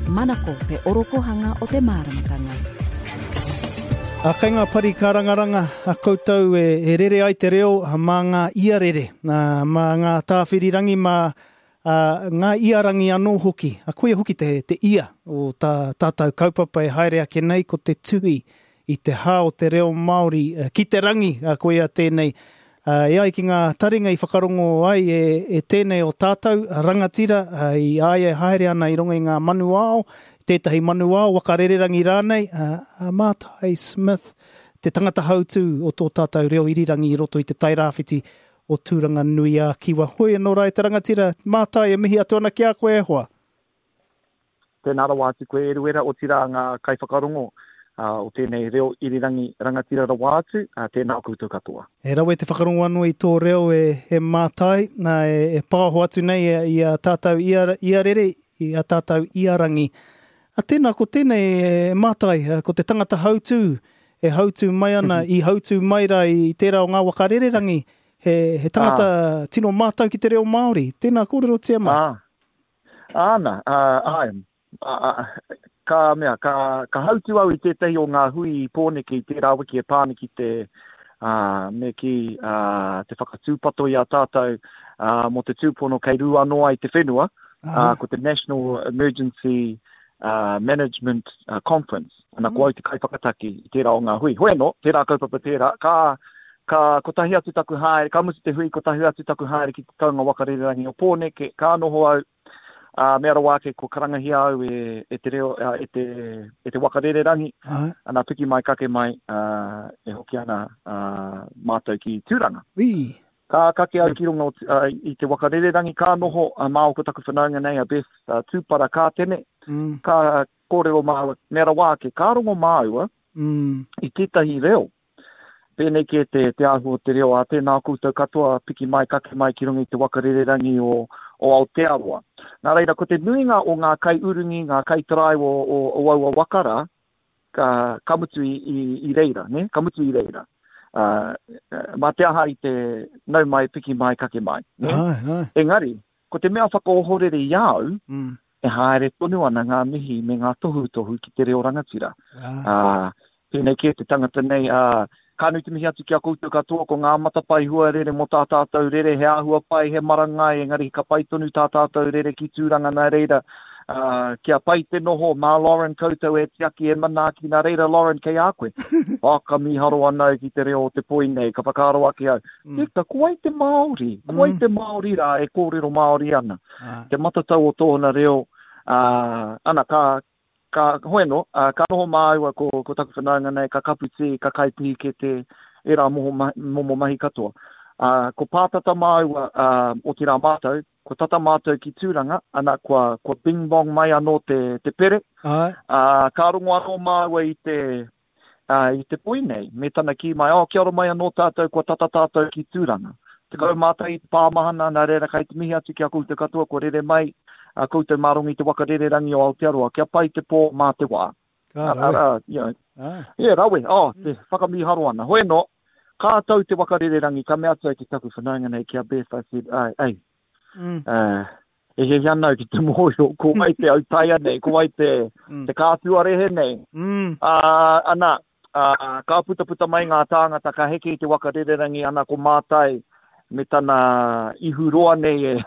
Manako te orokohanga o te māramatanga. A kei ngā pari kārangaranga a koutou e, e rere ai te reo mā ngā iarere, mā ngā tāwhirirangi, mā ngā iarangi anō hoki. A koia hoki te, te ia o tā tātou kaupapa e haere ake nei ko te tuhi i te hā o te reo Māori ki te rangi, koia tēnei. E ai ki ngā taringa i whakarongo ai e, e tēnei o tātou rangatira i a ia e haere ana i runga i ngā manuao, tētahi manuao, waka rererangi rānei, a Mātai Smith, te tangata hautū o tō tātou reo irirangi i roto i te Tairāwhiti o Tūranganui-ā-Kiwa. Hoi anō rā e te rangatira, Mātai e mihi atu ana ki a koe e hoa. Tēnā rawa atu koe Eruera, otirā ngā kaiwhakarongo o tēnei reo irirangi rangatira rawa atu, tēnā koutou katoa. E rawe te whakarongo anō i tō reo e Mātai, nā, e pāho atu nei i a tātou ia rere, i a tātou ia rangi. A tēnā, ko tēnei e Mātai, ko te tangata hautū, e hautū mai ana, i hautū mai rā i tērā o ngā waka rererangi, he, he tangata tino mātau ki te reo Māori. Tēnā, kōrerotia mai. Āna, āe, ka mea, ka, ka hautū au i tētahi o ngā hui i Pōneke i tērā wiki e pā ana ki te, ā, me kī, ā, te whakatūpato i a tātou, ā, mō te tūpono kei rū anō ai te whenua, ā, ko te National Emergency Management Conference. Ana, ko au te kaiwhakataki i tērā o ngā hui. Hoi anō, tērā kaupapa tērā, ka, ka kotahi atu taku haere, ka mutu te hui, kotahi atu taku haere ki te taunga waka rererangi o Pōneke, ka noho au, ā, mea rawa ake kua karangahia au e, e te reo, e te, e te waka rererangi, ana, piki mai, kake mai, ā, e hoki ana, ā, mātou ki Tūranga. Wī. Ka kake au ki runga o, ā, i te waka rererangi, ka noho, ā, māua ko taku whanaunga nei, a Beth, ā, Tūpara Kātene, ka kōrero māua, mea rawa ake, ka rongo māua i tētahi reo. Pēnei kē te, te āhua o te reo, ā, tēnā koutou katoa, piki mai, kake mai ki runga i te waka rererangi o, o Aotearoa. Nā reira, ko te nuinga o ngā kaiurungi, ngā kaitaraiwa o, o, o aua waka rā, ka, ka mutu i, i, i reira, nē? Ka mutu i reira. Ā, mā te aha i te nau mai, piki mai, kake mai, nē? Āe, āe. Engari, ko te mea whakaohorere i a au, e haere tonu ana ngā mihi me ngā tohutohu ki te reo rangatira. Ā, pēnei kē te tangata nei, ā, ka nui te mihi atu ki a koutou katoa, ko ngā matapae huarere mō tā tātou rere, he āhua pai, he marangai, engari ka pai tonu tā tātou rere ki Tūranga, nā reira, ā, kia pai te noho, mā Lauren koutou e tiaki, e manaaki, nā reira Lauren kei a koe. Oh, ka mīharo ana au ki te reo o te poi nei, ka whakaaro ake au, Eka, ko wai te Māori? Ko wai te Māori rā e kōrero Māori ana? Te matatau o tōna reo, ā, ana, ka, ka, hoi anō, ā, ka noho māua ko, ko taku whanaunga nei, ka kapu tī, ka kai pīkete, ērā moho mahi, momo mahi katoa. Ā, ko pātata māua, ā, otirā mātou, kua tata mātou ki Tūranga, ana, kua, kua bing-bong mai anō te, te pere. Āe. Ā, ka rongo anō māua i te, ā, i te poi nei, me tana kī mai, oh, kia ora mai anō tātou, kua tata tātou ki Tūranga. 11 i te pāmahana, nā reira kai te mihi atu ki a koutou katoa kua rere mai a koutou mā runga i te waka rererangi o Aotearoa, kia pai te pō mā te wā. Ka rawe. Arā, you know, Ah. Yeah, rawe, oh, te whakamīharo ana. Hoi anō, ka tau te waka rererangi, ka mea atu au ki taku whanaunga nei, ki a Beth, I said, ai, ei, mm. uh, E hiahia ana au ki te mōhio ko wai te autaia nei, ko wai te, mm. te kātuarehe nei. Mm. Ā, ana, ā, ka putaputa mai ngā tāngata, ka heke i te waka rererangi, ana ko Mātai me tana ihu roa nei e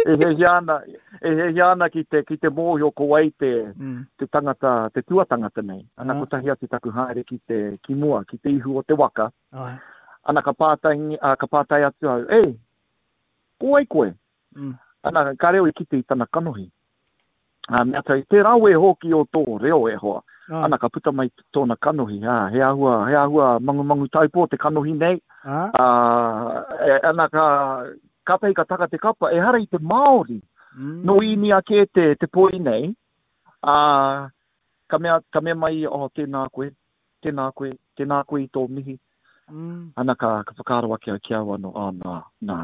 e hiahia ana, e hiahia ana ki te, ki te mōhio ko wai te, mm. te tangata, te tuatangata nei. Ana, Ah. kotahi atu taku haere ki te, ki mua, ki te ihu o te waka. Ai. Ana, ka pātai, ka pātai atu au, e, Ko wai koe? Mm. Ana, ka reo i kite i tana kanohi. Ā, mea atu, te rawe hoki o tō reo e hoa. Ah. Ana, ka puta mai tōna kanohi, ā, he āhua, he āhua mangumangu taupō te kanohi nei. Ah. Ā, e, ana, ka, kātahi ka taka te kapa, ehara i te Māori. Mm. Nō Īnia kē te, te poi nei, ā, ka mea, ka mea mai ia, oh, tēnā koe, tēnā koe, tēnā koe i tō mihi. Mm. Ana ka, ka whakaaro ake au ki au anō, oh, nā, nā,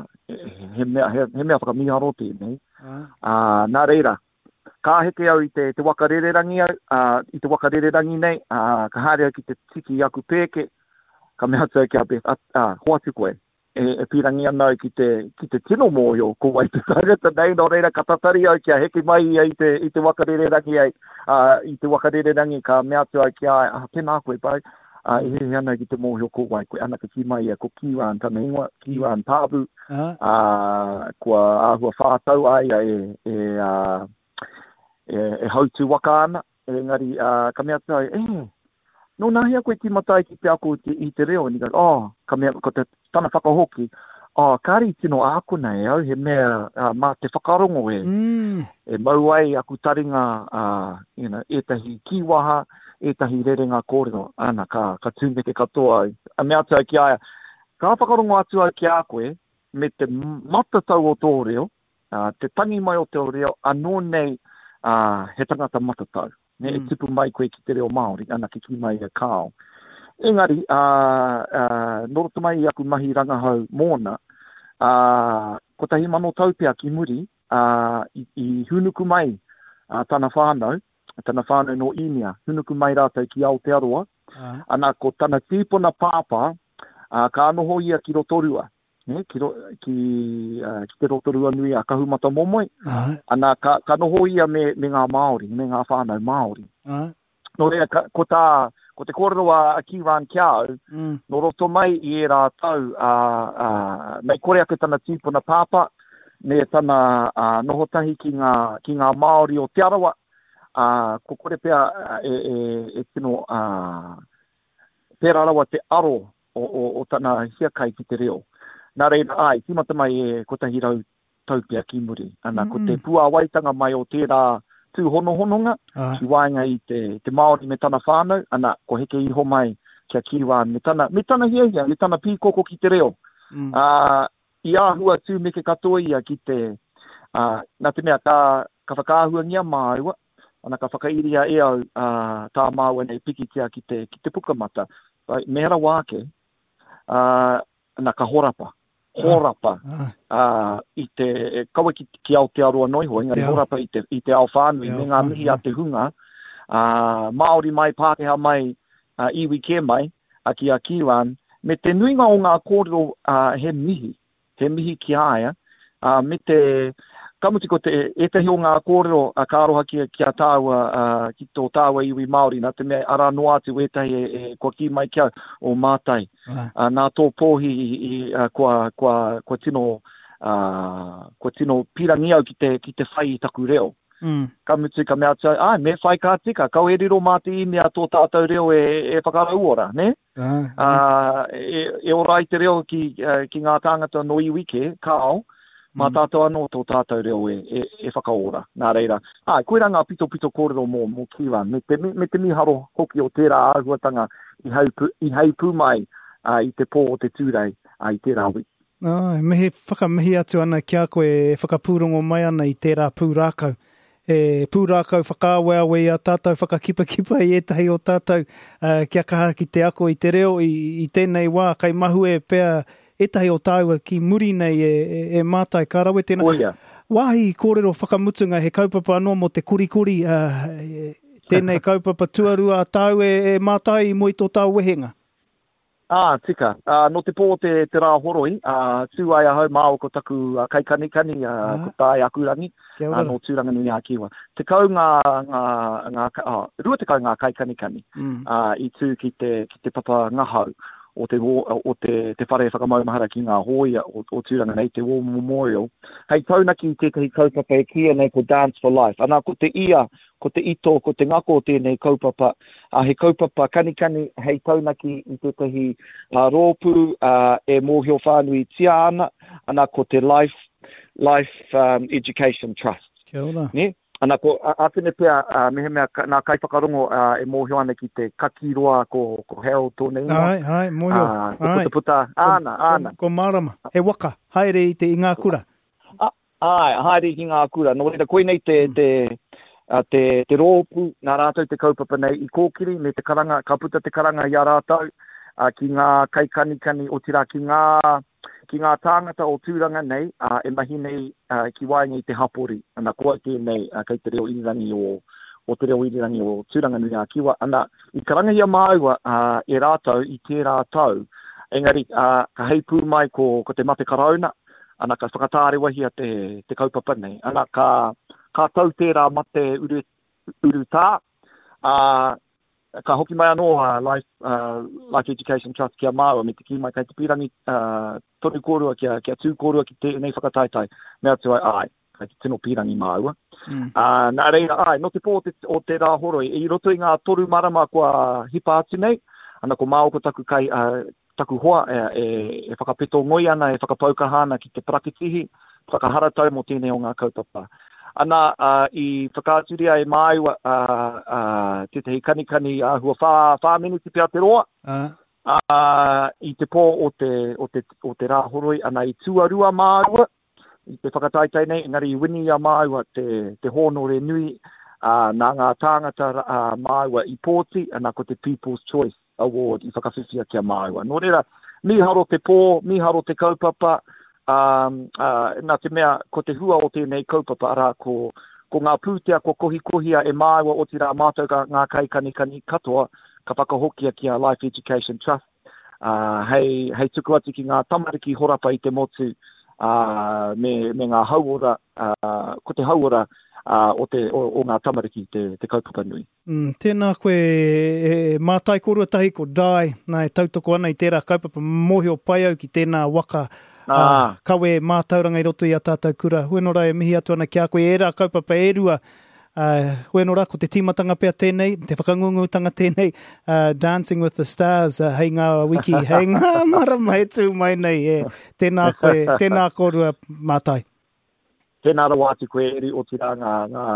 he mea, he, he mea whakamīharo tēnei. Ah. Ā, nā reira, ka heke au i te, te waka rererangi au, ā, i te waka rererangi nei, ā, ka haere au ki te tiki i aku pēke, ka mea atu au ki a Beth, ā, hoatu koe. E, e pīrangi ana au ki te, ki te tino mōhio ko wai te tangata nei, nō reira ka tatari au kia heke mai ia i te, i te waka rererangi ai, ā, i te waka rererangi ka mea atu au ki a ia, ah, tēnā koe, bro, ā, e hiahia ana au ki te mōhio ko wai koe. Ana ka kī mai ia, ko Kiran tana ingoa, Kiran Pābu, ā, kua āhua whātau a ia e, e, ā, e, e hautū waka ana, Engari, ā, ka mea atu au, E, nō nahea koe tīmata ai ki te ako i te, i te reo? And he goes, Oh, ka mea, ko te, tana whakahoki, Oh, kāre i tino ākona e au, he mea, ā, mā te whakarongo e, mm. e mau ai aku taringa, ā, you know, ētahi kīwaha, ētahi rerenga kōrero. Ana, ka, ka tūmeke katoa au. A mea atu au ki a ia, ka whakarongo atu au ki a koe, me te matatau o tō reo, Ā, te tangi mai o te reo anō nei, ā, he tangata matatau. Nē, e tupu mai koe ki te reo Māori, ana ke kī mai ia kāo. Engari, ā, ā, nō roto mai i aku mahi rangahau mōna, ā, 1000 tau pea ki muri, ā, i, i hūnuku mai, ā, tana whānau, tana whānau nō Īnia, hūnuku mai rātou ki Aotearoa, ana, ko tana tīpuna pāpā, ā, ka noho ia ki Rotorua. Nē, ki, ro, ki, uh, ki te Rotorua nui a Kahumatamomoe. Ai. Ana, ka, ka noho ia me, me ngā Māori, me ngā whānau Māori. Ai. Nō reira, ka, ko, tā, ko te kōrero a, a Kiran ki a au, mm. nō roto mai i ērā tau, uh, uh, mei kore ake tana tīpuna pāpā, me tana uh, noho tahi ki ngā, ki ngā Māori o Te Arawa, uh, ko kore pea e, e, e tino uh, pērā rawa te aro o, o, o tana hiakai ki te reo. Nā reira, āe, tīmata mai e 100 tau pea ki muri. Ana, ko te puāwaitanga mai o tērā tūhonohononga ki waenga i te, te Māori me tana whānau, ana, ko heke iho mai kia Kiwan me tana, me tana hiahia, me tana pīkoko ki te reo. Mm. Ā, i āhua tūmeke katoa ia ki te, ā, nā te mea ka, ka whakaahuangia māua, ana ka whakairia e au ā, tā māua nei pikitia ki te, ki te pukamata. Me rawa ake, ā, ana ka horapa, horapa, ā, i te, kaua ki, ki Aotearoa noa iho, engari horapa i te, i te ao whānui, me ngā mihi a te hunga, ā, Māori mai, Pākehā mai, ā, iwi kē mai, ā, ki a Kiran, me te nuinga o ngā kōrero, ā, he mihi, he mihi ki a ia, ā, me te, ka mutu ko te, ētahi o ngā kōrero a ka aroha ki, ki a tāua, ā, ki tō tāua iwi Māori, nā te mea arā noa atu ētahi e, e, kua kī mai ki au, o Mātai, ā, nā tō pōhi i, i, ā, kua, kua, kua tino, ā, kua tino pīrangi au ki te, ki te whai i taku reo. Mm. Ka mutu, ka mea atu au, āe, me whai ka tika, kaua e riro mā te īnia tō tātou reo e, e whakarauora, nē? Ā, e, e ora ai te reo ki, ki ngā tāngata nō iwi kē, kāo, mā tātou anō tō tātou reo e, e, e whakaora. Nā reira, āe, koirā ngā pitopito kōrero mō, mō Kiran, me te, me te mīharo hoki o tērā āhuatanga i heipū, i heipū mai ā, i te pō o te Tūrei ā, i tērā wiki. Āe, mihi, whakamihi atu ana ki a koe e whakapūrongo mai ana i tērā pūrākau. He pūrākau whakaaweawe i a tātou, whakakipakipa i ētahi o tātou kia kaha ki te ako i te reo i tēnei wā, kei mahue pea ētahi o tāua ki muri nei e mātai, ka rawe tēnā. Koia. Wāhi kōrero whakamutunga, he kaupapa anō mō te korikori, tēnei kaupapa tuarua a tāu e mātai i mua i tō tāu wehenga. Ā, tika. Ā, nō te pō o te, te Rā Horoi, ā, tū ai ahau māua ko taku kaikanikani, ā, ko Tāe Akurangi, ā, nō Tūranganui-ā-Kiwa. 10 ngā, ngā, ngā, ā, 20 ngā kaikanikani, ā, i tū ki te, ki te papa ngahau o te, o te, te whare whakamaumahara ki ngā hōia o, o Tūranga nei, te War Memorial, hei taunaki i tētahi kaupapa e kīia nei ko Dance for Life. Anā, ko te ia Ko te ito, ko te ngako o tēnei kaupapa, ā, he kaupapa kanikani hei taunaki i tētahi rōpū e mōhio whānuitia ana, ana ko te Life, Life Education Trust. Kia ora. Nē? Ana ko ātene pea, mehemea nā kaiwhakarongo e mōhio ana ki te kakī roa ko, ko Harold tōna ingoa. Āe, āe, mōhio. Ā, te putaputa, āna, āna. Ko, ko Mārama, he waka, haere i te, i ngā kura. Āe, haere ki ngā kura. Nō reira, koinei te, te, te, te rōpū, nā rātou te kaupapa nei i kōkiri me te karanga, ka puta te karanga i a rātou ki ngā kaikanikani, otirā ki ngā, ki ngā tāngata o Tūranga nei e mahi nei ki waenga i te hapori. Ana, ko au tēnei kei te reo irirangi o, o te reo irirangi o Tūranganui-ā-Kiwa. Ana, i karangahia māua e rātou i tērā tau. Engari, ā, ka heipū mai ko, ko te mate karauna, ana ka whakatārewahia te, te kaupapa nei. Ana ka, ka tau tērā mate uru, urutā, ā, ka hoki mai anō a Life, uh, Life Education Trust ki a māua me te kī mai kei te pīrangi uh, tonu kōrua kia, kia tū kōrua ki tēnei whakataetae. Me atu ai, āe, kei te tino pīrangi māua. Mm. Uh, nā reira, āe, nō te pō o te, o te Rāhoroi, i roto i ngā toru marama kua hipa atu nei, ana ko māua ko taku kai, uh, taku hoa e, e, e whakapeto ngoi ana, e whakapau kaha ana ki te parakitihi, whakaharatau mō tēnei o ngā kaupapa. Ana, uh, i whakaaturia e māua uh, uh, tētahi kanikani āhua whā, whā miniti pea te roa, uh. Uh, i te pō o te, o te, o te Rāhoroi, ana i tuarua māua, i te whakataetae nei, engari i wini i a māua te, te hōnore nui, ā, nā ngā tāngata ā, māua i pōti, ana ko te People's Choice Award i whakawhiwhia ki a māua. Nō reira, mīharo te pō, mīharo te kaupapa, ā, ā, nā te mea ko te hua o tēnei kaupapa, arā, ko, ko ngā pūtea kua kohikohia e māua, otirā mātou ka, ngā kaikanikani katoa, ka whakahokia ki a Life Education Trust, ā, hei, hei tuku atu ki ngā tamariki horapa i te motu, ā, me, me ngā hauora, ā, ko te hauora, ā, o te, o, o ngā tamariki te, te kaupapa nui. Mm, tēnā koe e, e mātai kōrua tahi ko Dai, nā e tautoko ana i tērā kaupapa mōhio pai au ki tēnā waka ā, kawe mātauranga i roto i a tātou kura. Hueno rā e mihi atu ana ki a koe ērā kaupapa e rua Uh, wēno rā, ko te tīmatanga pea tēnei, te whakangungutanga tēnei, uh, Dancing with the Stars, uh, hei ngā wiki, hei ngā marama e tū mai nei. E, tēnā koe, tēnā kōrua mātai. Tēnā rawa atu koe, Eri, otirā ngā, ngā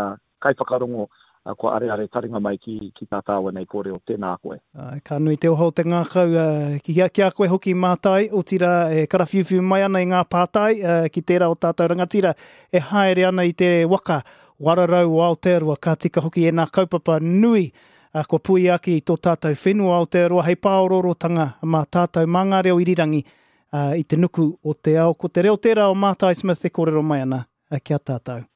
kaiwhakarongo uh, kua areare taringa mai ki, ki tā tāua nei kōrero. Tēnā koe. Uh, ka nui te oha o te ngākau uh, ki, ki a koe hoki mātai, otirā e karawhiuwhiu mai ana i ngā pātai uh, ki tērā o tātou rangatira e haere ana i te waka Wararau o Aotearoa, ka tika hoki ēnā kaupapa nui kua puia ake i tō tātou whenua Aotearoa hei pāoroorotanga mā tātou, mā ngā reo irirangi i te nuku o te ao. Ko te reo tērā o Mātai Smith e kōrero mai ana ki a tātou.